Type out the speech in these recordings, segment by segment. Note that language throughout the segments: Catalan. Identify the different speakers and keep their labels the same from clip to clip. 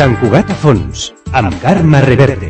Speaker 1: Sant Cugat a fons, amb Carme Reverte.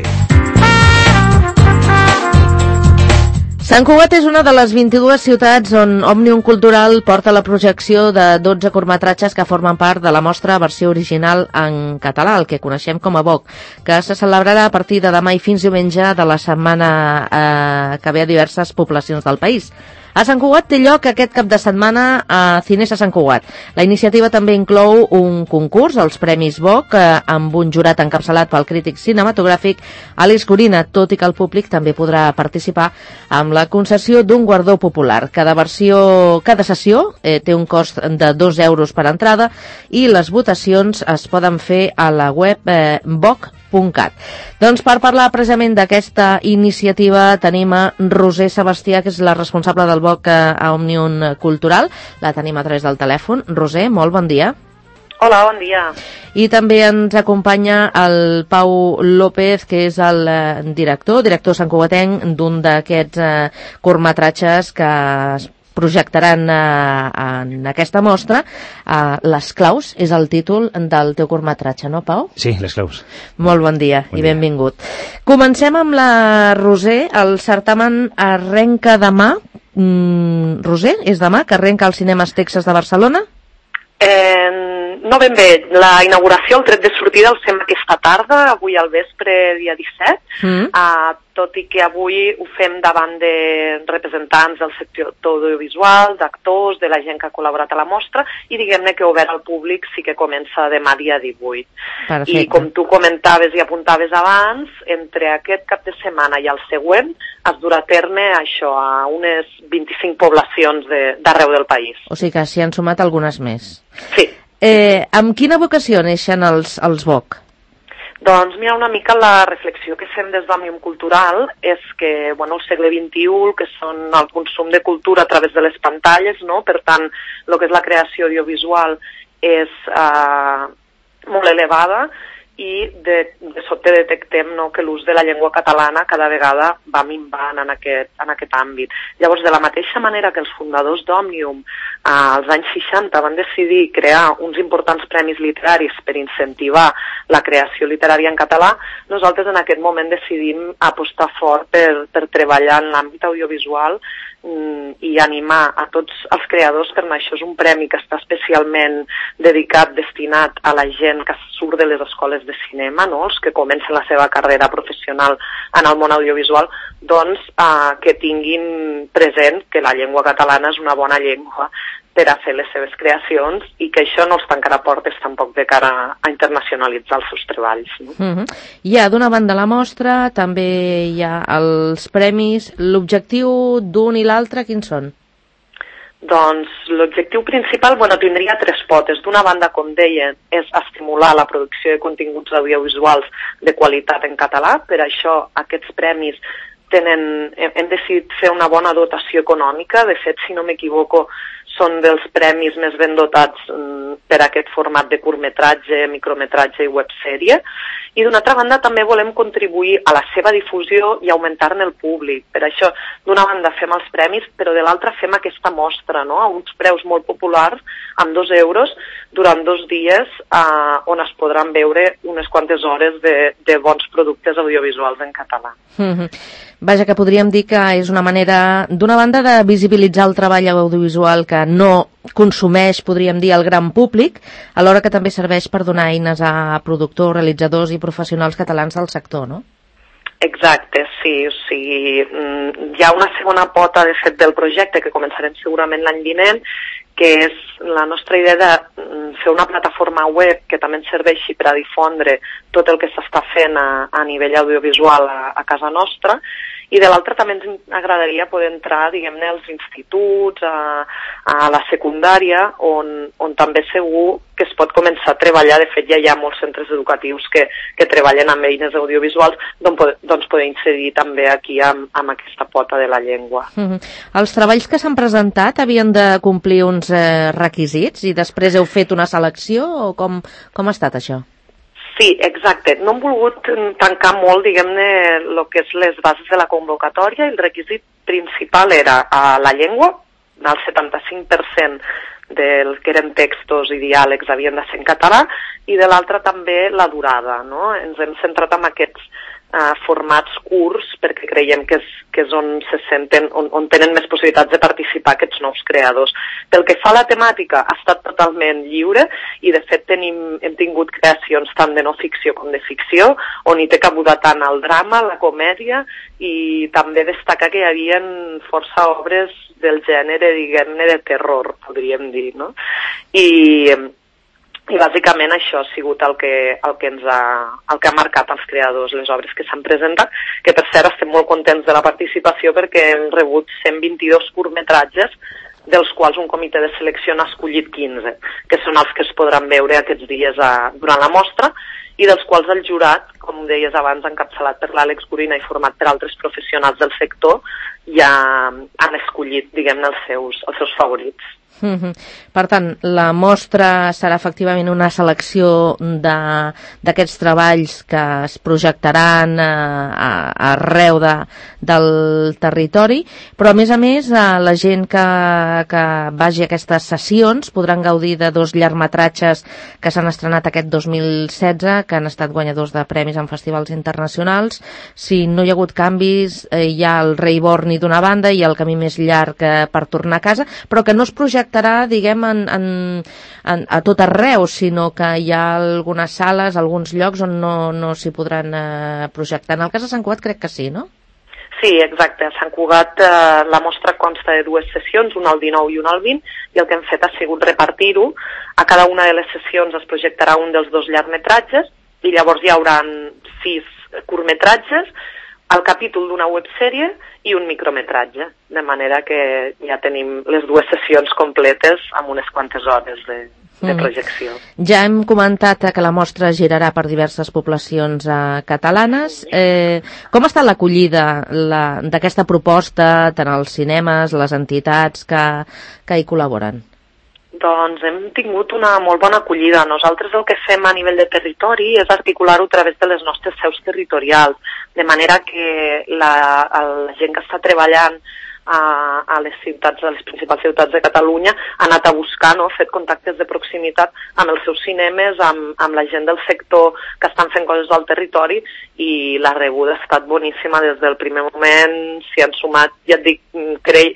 Speaker 2: Sant Cugat és una de les 22 ciutats on Òmnium Cultural porta la projecció de 12 curtmetratges que formen part de la mostra versió original en català, el que coneixem com a VOC, que se celebrarà a partir de demà i fins diumenge de la setmana que ve a diverses poblacions del país. A Sant Cugat té lloc aquest cap de setmana a Cines a Sant Cugat. La iniciativa també inclou un concurs, els Premis VOC, amb un jurat encapçalat pel crític cinematogràfic Àlex Gorina, tot i que el públic també podrà participar amb la concessió d'un guardó popular. Cada sessió té un cost de 2 euros per entrada i les votacions es poden fer a la web voc.cat. Doncs per parlar precisament d'aquesta iniciativa tenim a Roser Sebastià, que és la responsable del VOC a Òmnium Cultural. La tenim a través del telèfon. Roser, molt bon dia.
Speaker 3: Hola, bon dia.
Speaker 2: I també ens acompanya el Pau López, que és el director santcugatenc d'un d'aquests curtmetratges que es projectaran en aquesta mostra. Les claus és el títol del teu curtmetratge, no, Pau?
Speaker 4: Sí, les claus.
Speaker 2: Molt bon dia i benvingut. Comencem amb la Roser. El certamen arrenca demà. Roser, és demà que arrenca al Cinemes Texas de Barcelona?
Speaker 3: No ben bé. La inauguració, el tret de sortida, el fem aquesta tarda, avui al vespre, dia 17, tot i que avui ho fem davant de representants del sector audiovisual, d'actors, de la gent que ha col·laborat a la mostra, i diguem-ne que obert al públic sí que comença demà dia 18.
Speaker 2: Perfecte.
Speaker 3: I com tu comentaves i apuntaves abans, entre aquest cap de setmana i el següent es durà a terme això a unes 25 poblacions d'arreu del país.
Speaker 2: O sigui que s'hi han sumat algunes més.
Speaker 3: Sí.
Speaker 2: Amb quina vocació neixen els VOC?
Speaker 3: Doncs mira, una mica la reflexió que fem des d'Òmnium Cultural és que, el segle XXI, que són el consum de cultura a través de les pantalles, no? Per tant, el que és la creació audiovisual és molt elevada i de sobte detectem que l'ús de la llengua catalana cada vegada va minvant en aquest àmbit. Llavors, de la mateixa manera que els fundadors d'Òmnium als anys 60 van decidir crear uns importants premis literaris per incentivar la creació literària en català, nosaltres en aquest moment decidim apostar fort per treballar en l'àmbit audiovisual i animar a tots els creadors, per això és un premi que està especialment dedicat, destinat a la gent que surt de les escoles de cinema, no? Els que comencen la seva carrera professional en el món audiovisual, doncs que tinguin present que la llengua catalana és una bona llengua per a fer les seves creacions i que això no els tancarà portes tampoc de cara a internacionalitzar els seus treballs. No?
Speaker 2: Hi ha d'una banda la mostra, també hi ha els premis. L'objectiu d'un i l'altre, quins són?
Speaker 3: Doncs l'objectiu principal, tindria 3 potes. D'una banda, com deia, és estimular la producció de continguts audiovisuals de qualitat en català. Per això aquests premis hem decidit fer una bona dotació econòmica. De fet, si no m'equivoco, són dels premis més ben dotats per aquest format de curtmetratge, micrometratge i websèrie. I d'una altra banda també volem contribuir a la seva difusió i augmentar-ne el públic. Per això, d'una banda fem els premis, però de l'altra fem aquesta mostra, no? A uns preus molt populars, amb 2 euros, durant 2 dies, on es podran veure unes quantes hores de bons productes audiovisuals en català.
Speaker 2: Vaja, que podríem dir que és una manera, d'una banda, de visibilitzar el treball audiovisual que no consumeix, podríem dir, el gran públic, alhora que també serveix per donar eines a productors, realitzadors i professionals catalans del sector, no?
Speaker 3: Exacte, sí. O sigui, hi ha una segona pota, de fet, del projecte que començarem segurament l'any vinent, que és la nostra idea de fer una plataforma web que també ens serveixi per a difondre tot el que s'està fent a nivell audiovisual a casa nostra, i de l'altra també ens agradaria poder entrar, diguem-ne, als instituts, a la secundària, on també segur que es pot començar a treballar. De fet, ja hi ha molts centres educatius que treballen amb eines audiovisuals, doncs poder incidir també aquí amb aquesta pota de la llengua.
Speaker 2: Els treballs que s'han presentat havien de complir uns requisits i després heu fet una selecció o com ha estat això?
Speaker 3: Sí, exacte. No hem volgut tancar molt, diguem-ne, el que és les bases de la convocatòria. El requisit principal era la llengua. El 75% del que eren textos i diàlegs havien de ser en català, i de l'altra també la durada, no? Ens hem centrat en aquests formats curts perquè creiem que és on se senten, on tenen més possibilitats de participar aquests nous creadors. Pel que fa a la temàtica, ha estat totalment lliure i de fet hem tingut creacions tant de no ficció com de ficció, on hi té cabuda tant el drama, la comèdia, i també destacar que hi havia força obres del gènere, diguem-ne, de terror, podríem dir, no? I bàsicament això ha sigut el que ha marcat els creadors, les obres que s'han presentat, que per cert estem molt contents de la participació perquè hem rebut 122 curtmetratges, dels quals un comitè de selecció n'ha escollit 15, que són els que es podran veure aquests dies durant la mostra, i dels quals el jurat, com deies abans, encapçalat per l'Àlex Gorina i format per altres professionals del sector, ja han escollit, diguem-ne, els seus favorits.
Speaker 2: Per tant, la mostra serà efectivament una selecció d'aquests treballs que es projectaran arreu del territori, però a més la gent que vagi a aquestes sessions podran gaudir de 2 llargmetratges que s'han estrenat aquest 2016, que han estat guanyadors de premis en festivals internacionals. Si no hi ha hagut canvis, hi ha el Rei Borni d'una banda i el camí més llarg per tornar a casa, però que no es projectarà, diguem, a tot arreu, sinó que hi ha algunes sales, alguns llocs on no s'hi podran projectar. En el cas de Sant Cugat crec que sí, no?
Speaker 3: Sí, exacte. A Sant Cugat la mostra consta de 2 sessions, una al 19 i una al 20, i el que hem fet ha sigut repartir-ho. A cada una de les sessions es projectarà un dels 2 llargmetratges, i llavors hi haurà 6 curtmetratges, el capítol d'una websèrie i un micrometratge, de manera que ja tenim les 2 sessions completes amb unes quantes hores de projecció.
Speaker 2: Ja hem comentat que la mostra girarà per diverses poblacions catalanes. Com està l'acollida d'aquesta proposta, tant als cinemes, les entitats que hi col·laboren?
Speaker 3: Doncs hem tingut una molt bona acollida. Nosaltres el que fem a nivell de territori és articular-ho a través de les nostres seus territorials, de manera que la gent que està treballant a les principals ciutats de Catalunya ha anat a buscar, no?, fet contactes de proximitat amb els seus cinemes, amb la gent del sector que estan fent coses al territori, i la rebuda ha estat boníssima des del primer moment. S'hi han sumat, ja et dic,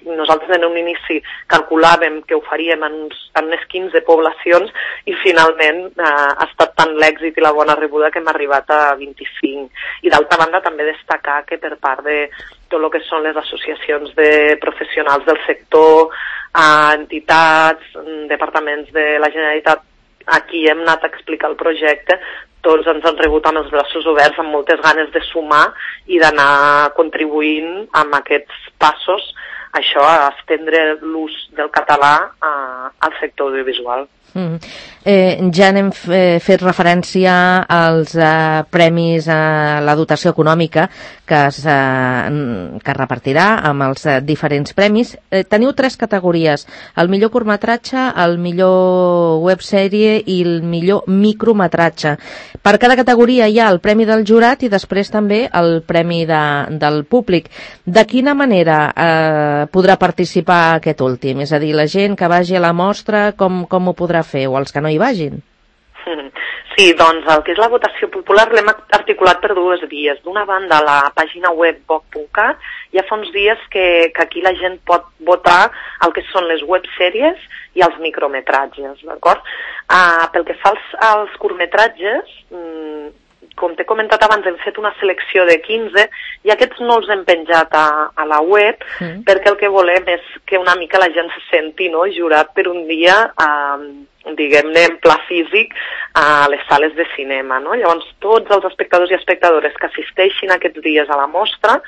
Speaker 3: nosaltres en un inici calculàvem que ho faríem en unes 15 poblacions i finalment ha estat tant l'èxit i la bona rebuda que hem arribat a 25. I d'altra banda també destacar que per part de tot el que són les associacions de professionals del sector, entitats, departaments de la Generalitat, a qui hem anat a explicar el projecte, tots ens han rebut amb els braços oberts, amb moltes ganes de sumar i d'anar contribuint amb aquests passos, això, a estendre l'ús del català al sector audiovisual.
Speaker 2: Ja n'hem fet referència als premis, a la dotació econòmica que es repartirà amb els diferents premis. Teniu 3 categories: el millor curtmetratge, el millor websèrie i el millor micrometratge. Per cada categoria hi ha el premi del jurat i després també el premi del públic. De quina manera podrà participar aquest últim? És a dir, la gent que vagi a la mostra, com ho podrà fer, o els que no hi vagin?
Speaker 3: Sí, doncs el que és la votació popular l'hem articulat per 2 vies. D'una banda, a la pàgina web boc.cat ja fa uns dies que aquí la gent pot votar el que són les websèries i els micrometratges, d'acord? Pel que fa als curtmetratges, com t'he comentat abans, hem fet una selecció de 15 i aquests no els hem penjat a la web perquè el que volem és que una mica la gent se senti, no?, jurat per un dia, diguem-ne, en pla físic a les sales de cinema, no? Llavors, tots els espectadors i espectadores que assisteixin aquests dies a la mostra,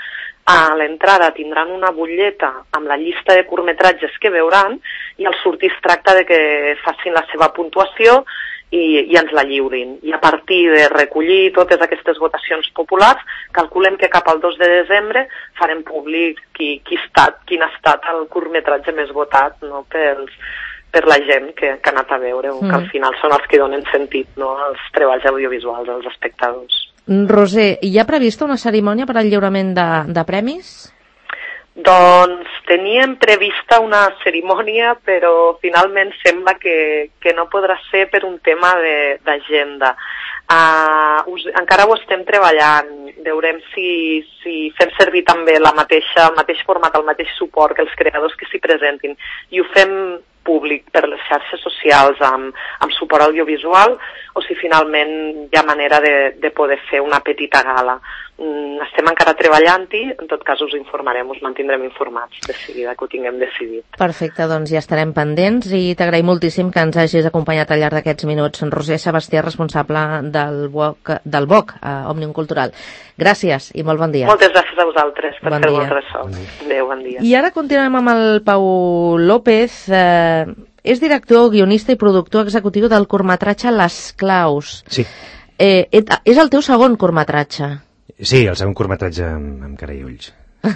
Speaker 3: a l'entrada tindran una butlleta amb la llista de curtmetratges que veuran i al sortir es tracta de que facin la seva puntuació i ens la lliurin. I a partir de recollir totes aquestes votacions populars, calculem que cap al 2 de desembre farem públic quin ha estat el curtmetratge més votat, no?, per la gent que ha anat a veure, que al final són els que donen sentit, no?, als treballs audiovisuals dels espectadors.
Speaker 2: Roser, hi ha prevista una cerimònia per al lliurament de premis?
Speaker 3: Doncs teníem prevista una cerimònia, però finalment sembla que no podrà ser per un tema d'agenda. Encara ho estem treballant. Veurem si fem servir també el mateix format, el mateix suport que els creadors que s'hi presentin. I ho fem públic per les xarxes socials amb suport audiovisual, o si finalment hi ha manera de poder fer una petita gala. Estem encara treballant-hi, en tot cas us informarem, us mantindrem informats de seguida que ho tinguem decidit.
Speaker 2: Perfecte, doncs ja estarem pendents i t'agraïm moltíssim que ens hagis acompanyat al llarg d'aquests minuts. Roser Sebastià, responsable del BOC, Òmnium Cultural. Gràcies i molt bon dia.
Speaker 3: Moltes gràcies a vosaltres per fer-vos ressò. Adéu, bon dia.
Speaker 2: I ara continuem amb el Pau López. És director, guionista i productor executiu del curtmetratge Les Claus.
Speaker 4: Sí.
Speaker 2: És el teu segon curtmetratge.
Speaker 4: Sí, el segon curtmetratge amb cara i ulls.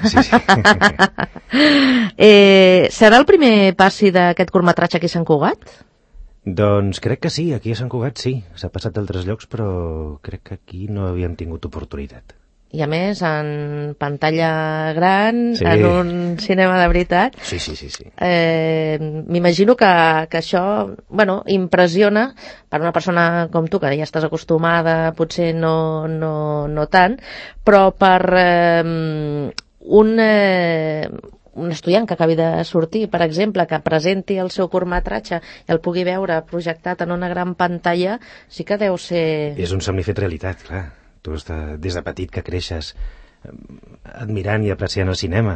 Speaker 4: Sí, sí.
Speaker 2: Serà el primer passi d'aquest curtmetratge aquí a Sant Cugat?
Speaker 4: Doncs crec que sí, aquí a Sant Cugat sí. S'ha passat d'altres llocs, però crec que aquí no havíem tingut oportunitat.
Speaker 2: I a més, en pantalla gran,
Speaker 4: sí.
Speaker 2: En un cinema de veritat.
Speaker 4: Sí.
Speaker 2: M'imagino que això, impressiona per una persona com tu, que ja estàs acostumada, potser no tant, però per un estudiant que acabi de sortir, per exemple, que presenti el seu curtmetratge i el pugui veure projectat en una gran pantalla, sí que deu ser...
Speaker 4: És un somni fet realitat, clar. Tu des de petit que creixes admirant i apreciant el cinema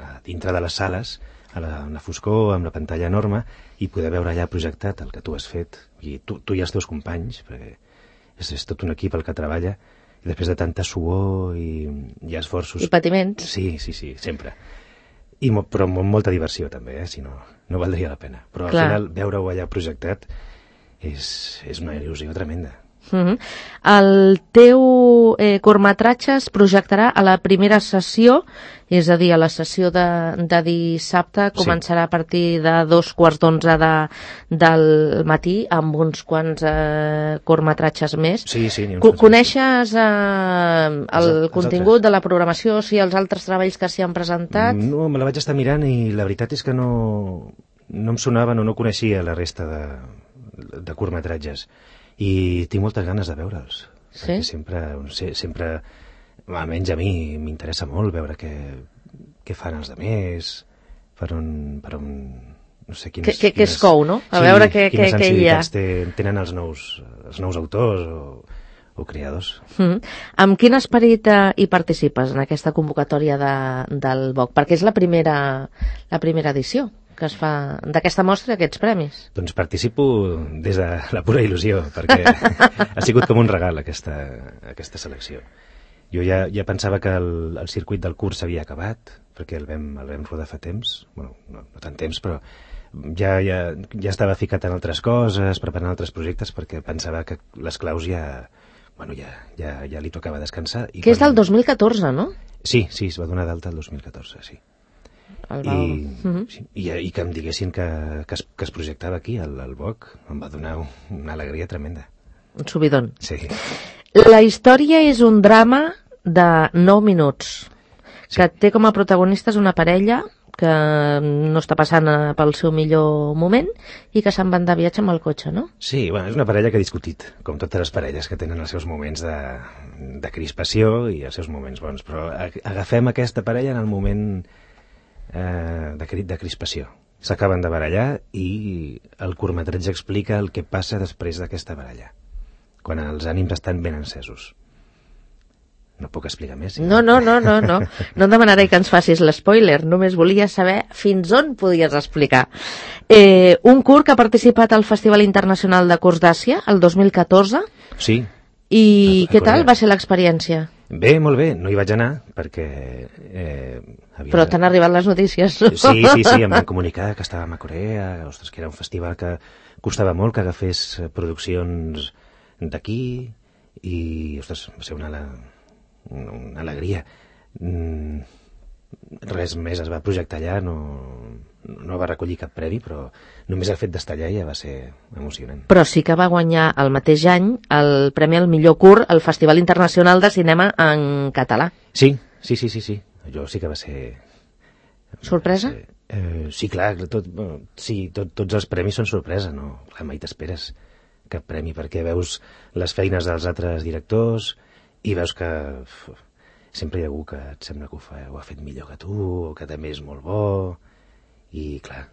Speaker 4: a dintre de les sales, a la foscor, amb la pantalla enorme, i poder veure allà projectat el que tu has fet, i tu i els teus companys, perquè és tot un equip el que treballa, i després de tanta suor i esforços...
Speaker 2: I patiments.
Speaker 4: Sí, sempre. Però amb molta diversió també, si no valdria la pena. Però al final veure-ho allà projectat és una il·lusió tremenda.
Speaker 2: El teu curtmetratge es projectarà a la primera sessió, és a dir, a la sessió de dissabte, començarà a partir de 2:15 del matí, amb uns quants curtmetratges més.
Speaker 4: Sí.
Speaker 2: Coneixes el contingut de la programació, si els altres treballs que s'hi han presentat?
Speaker 4: No, me la vaig estar mirant i la veritat és que no em sonaven o no coneixia la resta de curtmetratges. I tinc moltes ganes de veure'ls.
Speaker 2: Sí?
Speaker 4: Sempre, almenys a mi, m'interessa molt veure què fan els altres, per on no sé quines...
Speaker 2: Què es cou, no? A veure què hi ha.
Speaker 4: Quines sensibilitats tenen els nous autors o creadors.
Speaker 2: Amb quin esperit hi participes en aquesta convocatòria del BOC? Perquè és la primera edició que es fa d'aquesta mostra, aquests premis.
Speaker 4: Doncs participo des de la pura il·lusió, perquè ha sigut com un regal aquesta selecció. Jo ja pensava que el circuit del curs s'havia acabat, perquè el vam rodar fa temps, no tant temps, però ja estava ficat en altres coses, preparant altres projectes, perquè pensava que Les Claus ja li tocava descansar.
Speaker 2: Que és del 2014, no?
Speaker 4: Sí, es va donar d'alta el 2014, sí. I que em diguessin que es projectava aquí, al BOC, em va donar una alegria tremenda.
Speaker 2: Un subidon.
Speaker 4: Sí.
Speaker 2: La història és un drama de 9 minuts, que té com a protagonistes una parella que no està passant pel seu millor moment i que se'n van de viatge amb el cotxe, no?
Speaker 4: Sí, és una parella que ha discutit, com totes les parelles que tenen els seus moments de crispació i els seus moments bons, però agafem aquesta parella en el moment de crispació. S'acaben de barallar i el curtmetratge explica el que passa després d'aquesta baralla, quan els ànims estan ben encesos. No puc explicar més?
Speaker 2: No. No et demanaré que ens facis l'espoiler, només volia saber fins on podies explicar. Un curt que ha participat al Festival Internacional de Curts d'Àsia, el 2014.
Speaker 4: Sí.
Speaker 2: I què tal va ser l'experiència?
Speaker 4: Bé, molt bé. No hi vaig anar perquè...
Speaker 2: Però t'han arribat les notícies.
Speaker 4: Sí, em van comunicar que estàvem a Corea, ostres, que era un festival que costava molt que agafés produccions d'aquí i, ostres, va ser una alegria. Res més es va projectar allà, no va recollir cap premi, però només el fet d'estar allà ja va ser emocionant.
Speaker 2: Però sí que va guanyar el mateix any el premi al millor curt al Festival Internacional de Cinema en Català.
Speaker 4: Sí. Allò sí que va ser
Speaker 2: Sorpresa?
Speaker 4: Sí, clar, tots els premis són sorpresa, no? Clar, mai t'esperes cap premi, perquè veus les feines dels altres directors i veus que sempre hi ha algú que et sembla que ho ha fet millor que tu, o que també és molt bo, i clar,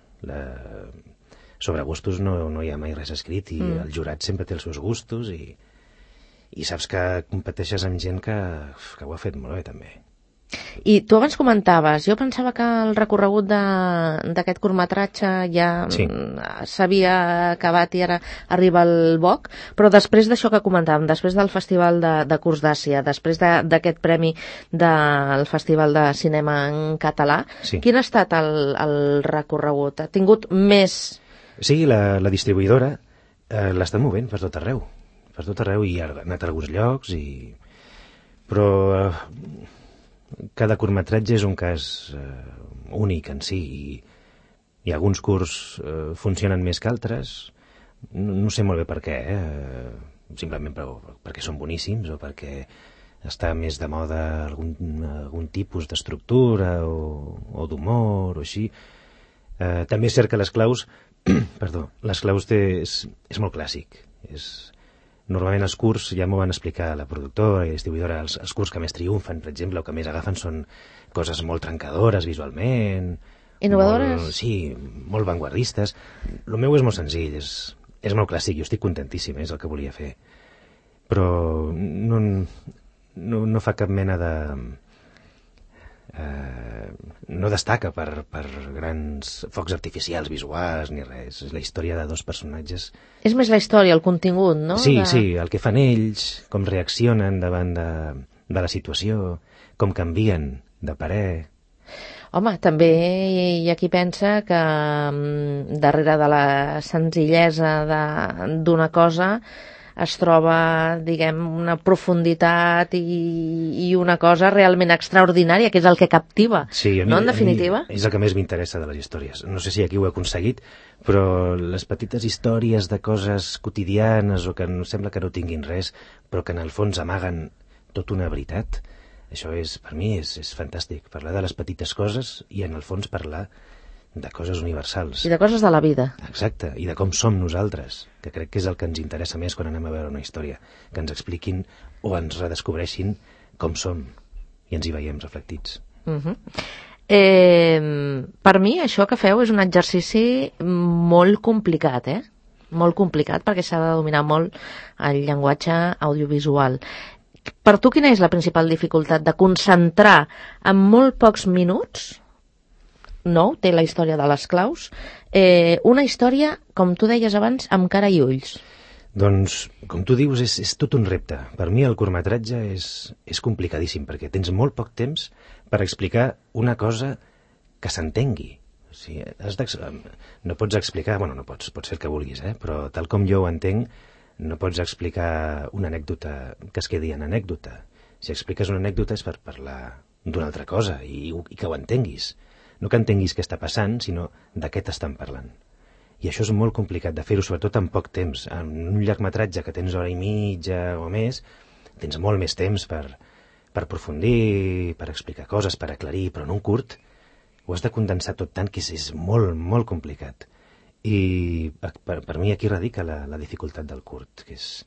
Speaker 4: sobre gustos no hi ha mai res escrit, i el jurat sempre té els seus gustos, i saps que competeixes amb gent que ho ha fet molt bé, també.
Speaker 2: I tu abans comentaves, jo pensava que el recorregut d'aquest curtmetratge ja s'havia acabat i ara arriba el BOC, però després d'això que comentàvem, després del Festival de Curts d'Àsia, després d'aquest premi del Festival de Cinema en Català, quin ha estat el recorregut? Ha tingut més...
Speaker 4: Sí, la distribuïdora l'està movent per tot arreu, i ha anat a alguns llocs, però... Cada curtmetratge és un cas únic en si, i alguns curts funcionen més que altres. No sé molt bé per què, simplement perquè són boníssims o perquè està més de moda algun tipus d'estructura o d'humor o així. També és cert que les claus és molt clàssic. Normalment els curts, ja m'ho van explicar la productora i la distribuïdora, els curts que més triomfen, per exemple, o que més agafen són coses molt trencadores visualment.
Speaker 2: Innovadores?
Speaker 4: Sí, molt vanguardistes. El meu és molt senzill, és molt clàssic, jo estic contentíssim, és el que volia fer. Però no fa cap mena de... no destaca per grans focs artificials visuals ni res. És la història de dos personatges.
Speaker 2: És més la història, el contingut, no?
Speaker 4: Sí, el que fan ells, com reaccionen davant de la situació, com canvien de parer.
Speaker 2: Home, també hi ha qui pensa que darrere de la senzillesa d'una cosa es troba, diguem, una profunditat i una cosa realment extraordinària, que és el que captiva, no, en definitiva?
Speaker 4: És el que més m'interessa de les històries. No sé si aquí ho he aconseguit, però les petites històries de coses quotidianes o que sembla que no tinguin res, però que en el fons amaguen tota una veritat, això per mi és fantàstic. Parlar de les petites coses i en el fons parlar de coses universals.
Speaker 2: I de coses de la vida.
Speaker 4: Exacte, i de com som nosaltres, que crec que és el que ens interessa més quan anem a veure una història, que ens expliquin o ens redescobreixin com som i ens hi veiem reflectits.
Speaker 2: Per mi això que feu és un exercici molt complicat, molt complicat, perquè s'ha de dominar molt el llenguatge audiovisual. Per tu quina és la principal dificultat de concentrar en molt pocs minuts, té la història de les claus, una història, com tu deies abans, amb cara i ulls?
Speaker 4: Doncs, com tu dius, és tot un repte. Per mi el curtmetratge és complicadíssim, perquè tens molt poc temps per explicar una cosa que s'entengui. O sigui, no pots explicar, pots fer el que vulguis, però tal com jo ho entenc, no pots explicar una anècdota que es quedi en anècdota. Si expliques una anècdota és per parlar d'una altra cosa i que ho entenguis. No que entenguis què està passant, sinó de què t'estan parlant. I això és molt complicat de fer-ho, sobretot en poc temps. En un llargmetratge que tens hora i mitja o més, tens molt més temps per aprofundir, per explicar coses, per aclarir, però en un curt ho has de condensar tot tant que és molt, molt complicat. I per mi aquí radica la dificultat del curt, que és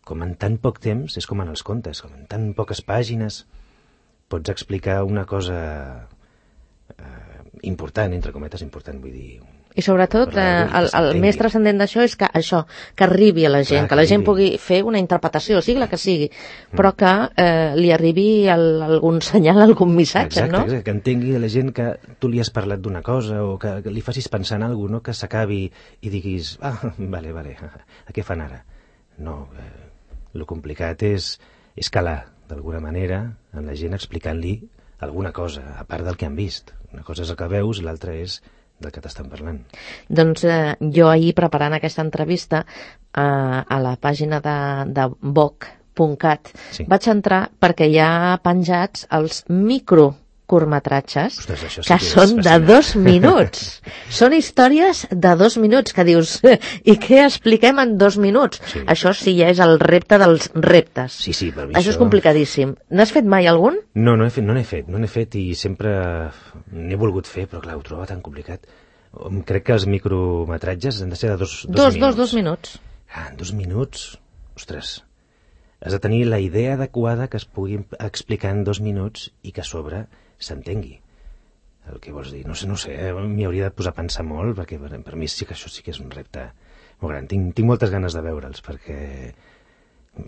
Speaker 4: com en tan poc temps, és com en els contes, com en tan poques pàgines pots explicar una cosa important, entre cometes important, vull dir...
Speaker 2: I sobretot el més transcendent d'això és que arribi a la gent, que la gent pugui fer una interpretació, sigui la que sigui, però que li arribi algun senyal, algun missatge, no?
Speaker 4: Exacte, que entengui a la gent que tu li has parlat d'una cosa o que li facis pensar en alguna cosa, no? Que s'acabi i diguis, vale, a què fan ara? No, el complicat és calar, d'alguna manera, en la gent explicant-li alguna cosa, a part del que han vist. Una cosa és el que veus i l'altra és del que t'estan parlant.
Speaker 2: Doncs jo ahir, preparant aquesta entrevista, a la pàgina de voc.cat, vaig entrar perquè hi ha penjats els curtmetratges
Speaker 4: Ostres, això sí
Speaker 2: que
Speaker 4: que és
Speaker 2: són de
Speaker 4: fascinant.
Speaker 2: 2 minuts. Són històries de 2 minuts que dius, i què expliquem en 2 minuts?
Speaker 4: Sí.
Speaker 2: Això sí ja és el repte dels reptes.
Speaker 4: Sí, per mi
Speaker 2: Això és complicadíssim. N'has fet mai algun?
Speaker 4: No n'he fet i sempre n'he volgut fer, però clar, ho trobo tan complicat. Crec que els micrometratges han de ser de dos minuts.
Speaker 2: 2 minuts.
Speaker 4: Ah, en 2 minuts? Ostres, has de tenir la idea adequada que es pugui explicar en 2 minuts i que a sobre s'entengui el que vols dir. No sé, m'hi hauria de posar a pensar molt, perquè per mi sí que això sí que és un repte molt gran. Tinc moltes ganes de veure'ls, perquè...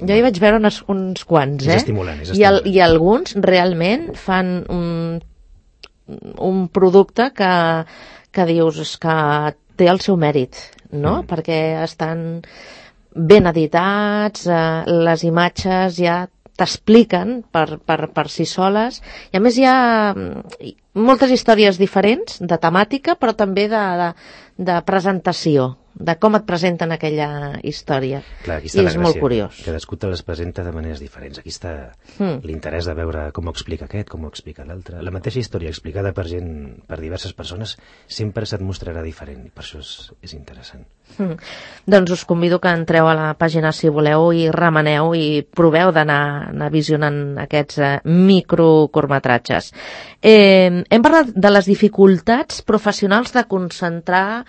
Speaker 2: Jo hi vaig veure uns quants,
Speaker 4: És estimulant,
Speaker 2: I alguns realment fan un producte que dius que té el seu mèrit, no? Perquè estan ben editats, les imatges ja t'expliquen per si soles, i a més hi ha moltes històries diferents de temàtica, però també de presentació, de com et presenten aquella història.
Speaker 4: Clar, aquí està
Speaker 2: I
Speaker 4: la
Speaker 2: és molt
Speaker 4: gràcia.
Speaker 2: curiós.
Speaker 4: Cadascú te les presenta de maneres diferents. Aquí està l'interès de veure com ho explica aquest, com ho explica l'altre. La mateixa història explicada per diverses persones sempre se't mostrarà diferent, i per això és interessant.
Speaker 2: Doncs us convido que entreu a la pàgina si voleu i remeneu i proveu d'anar visionant aquests microcurtmetratges. Hem parlat de les dificultats professionals de concentrar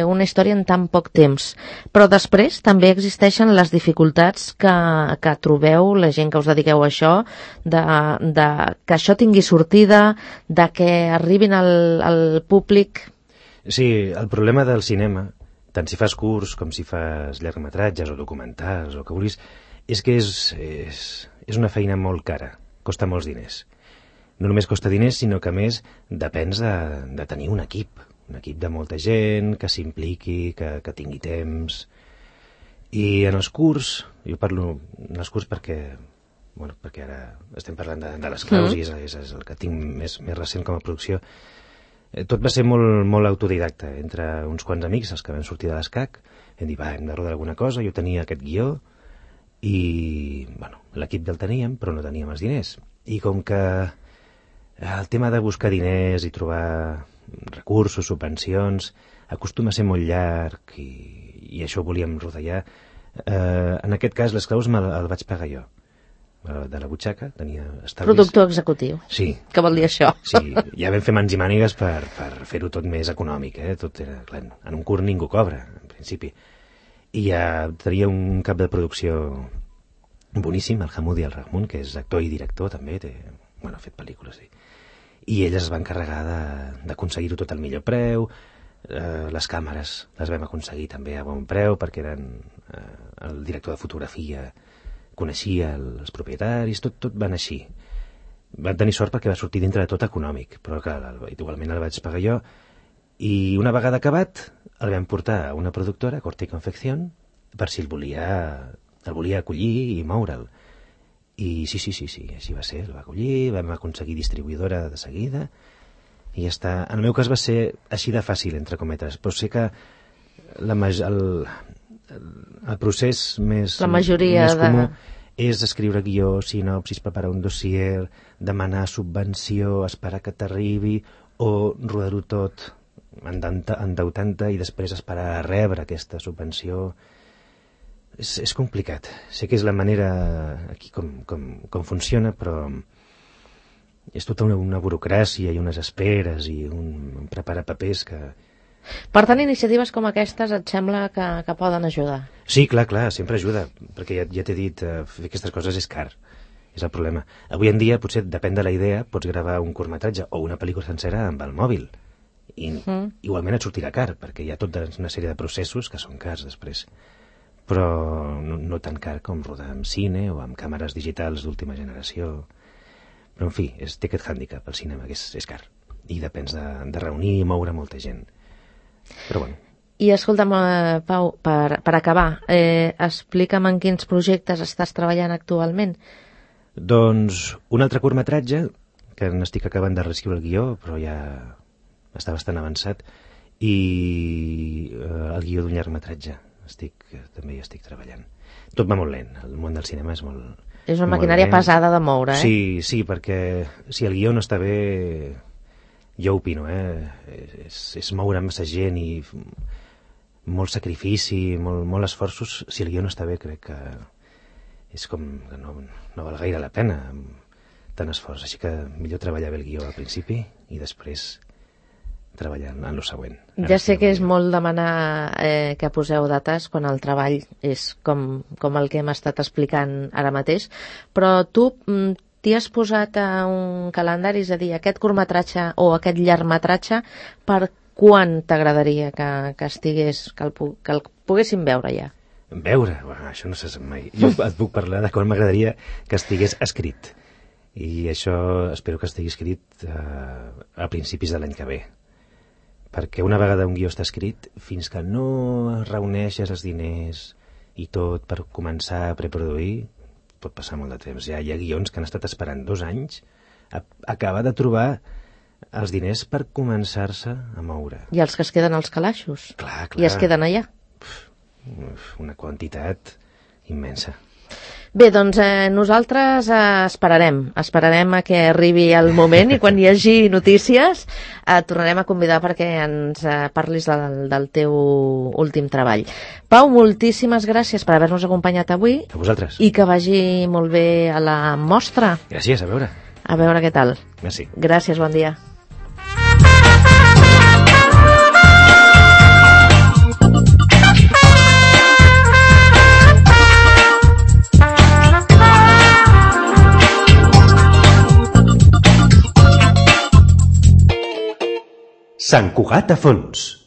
Speaker 2: una història en tan poc temps, però després també existeixen les dificultats que trobeu, la gent que us dediqueu a això, de que això tingui sortida, de que arribin al públic.
Speaker 4: Sí, el problema del cinema, tant si fas curs com si fas llargmetratges o documentals o que vulguis, és que és una feina molt cara, costa molts diners. No només costa diners, sinó que a més depens de tenir un equip de molta gent, que s'impliqui, que tingui temps. I en els curs, jo parlo en els curs perquè ara estem parlant de les claus i és el que tinc més recent com a producció. Tot va ser molt, molt autodidacta, entre uns quants amics, els que vam sortir de l'ESCAC, hem dit, hem de rodar alguna cosa, jo tenia aquest guió, i l'equip el teníem, però no teníem els diners. I com que el tema de buscar diners i trobar recursos, subvencions, acostuma a ser molt llarg i això ho volíem rodellar. En aquest cas, les claus el vaig pagar jo, de la butxaca, tenia estalvis.
Speaker 2: Productor executiu.
Speaker 4: Sí.
Speaker 2: Què vol dir això?
Speaker 4: Sí, ja vam fer mans i mànigues per fer-ho tot més econòmic, Tot era, clar, en un curt ningú cobra, en principi. I ja tenia un cap de producció boníssim, el Hamoudi El Rahmoun, que és actor i director també, ha fet pel·lícules, i ell es va encarregar d'aconseguir-ho tot al millor preu. Les càmeres les vam aconseguir també a bon preu, perquè el director de fotografia coneixia els propietaris, tot va anar així. Van tenir sort perquè va sortir dintre de tot econòmic, però clar, igualment el vaig pagar jo, i una vegada acabat el vam portar a una productora, Corte y Confección, per si el volia acollir i moure'l. I sí, així va ser, el va acollir, vam aconseguir distribuïdora de seguida, i ja està. En el meu cas va ser així de fàcil, entre cometes, però sé que el procés més comú és escriure guió, sinopsis, preparar un dossier, demanar subvenció, esperar que t'arribi, o rodar-ho tot endeutant-te i després esperar a rebre aquesta subvenció. És complicat. Sé que és la manera aquí com funciona, però és tota una burocràcia i unes esperes i un preparar papers que...
Speaker 2: Per tant, iniciatives com aquestes et sembla que poden ajudar?
Speaker 4: Sí, clar, sempre ajuda, perquè ja t'he dit, fer aquestes coses és car, és el problema. Avui en dia, potser depèn de la idea, pots gravar un curtmetratge o una pel·lícula sencera amb el mòbil, i igualment et sortirà car, perquè hi ha tota una sèrie de processos que són cars després, però no tan car com rodar amb cine o amb càmeres digitals d'última generació. Però, en fi, té aquest hàndicap, el cinema, que és car, i depens de reunir i moure molta gent. Però bueno.
Speaker 2: I escolta'm, Pau, per acabar, explica'm en quins projectes estàs treballant actualment.
Speaker 4: Doncs un altre curtmetratge, que n'estic acabant de reescriure el guió, però ja està bastant avançat, i el guió d'un llargmetratge també hi estic treballant. Tot va molt lent, el món del cinema és molt
Speaker 2: És una maquinària pesada de moure, eh?
Speaker 4: Sí, perquè si el guió no està bé, jo opino, és moure massa gent i molt sacrifici, molt esforços. Si el guió no està bé, crec que és com que no val gaire la pena tant esforç. Així que millor treballar bé el guió al principi i després treballar en lo següent.
Speaker 2: Ja sé que és molt demanar que poseu dates quan el treball és com el que hem estat explicant ara mateix, però tu t'hi has posat a un calendari, és a dir, aquest curtmetratge o aquest llargmetratge, per quan t'agradaria que estigués, que el poguéssim veure ja?
Speaker 4: Veure? Bueno, això no se sap mai. Jo et puc parlar de quan m'agradaria que estigués escrit. I això espero que estigui escrit a principis de l'any que ve. Perquè una vegada un guió està escrit, fins que no reuneixes els diners i tot per començar a preproduir, pot passar molt de temps. Ja hi ha guions que han estat esperant 2 anys a acabar de trobar els diners per començar-se a moure.
Speaker 2: I els que es queden als calaixos?
Speaker 4: Clar.
Speaker 2: I es queden allà?
Speaker 4: Una quantitat immensa.
Speaker 2: Bé, doncs nosaltres esperarem a que arribi el moment i quan hi hagi notícies et tornarem a convidar perquè ens parlis del teu últim treball. Pau, moltíssimes gràcies per haver-nos acompanyat avui.
Speaker 4: A vosaltres.
Speaker 2: I que vagi molt bé a la mostra.
Speaker 4: Gràcies, a veure.
Speaker 2: A veure què tal.
Speaker 4: Merci.
Speaker 2: Gràcies, bon dia.
Speaker 1: Sant Cugat a fons.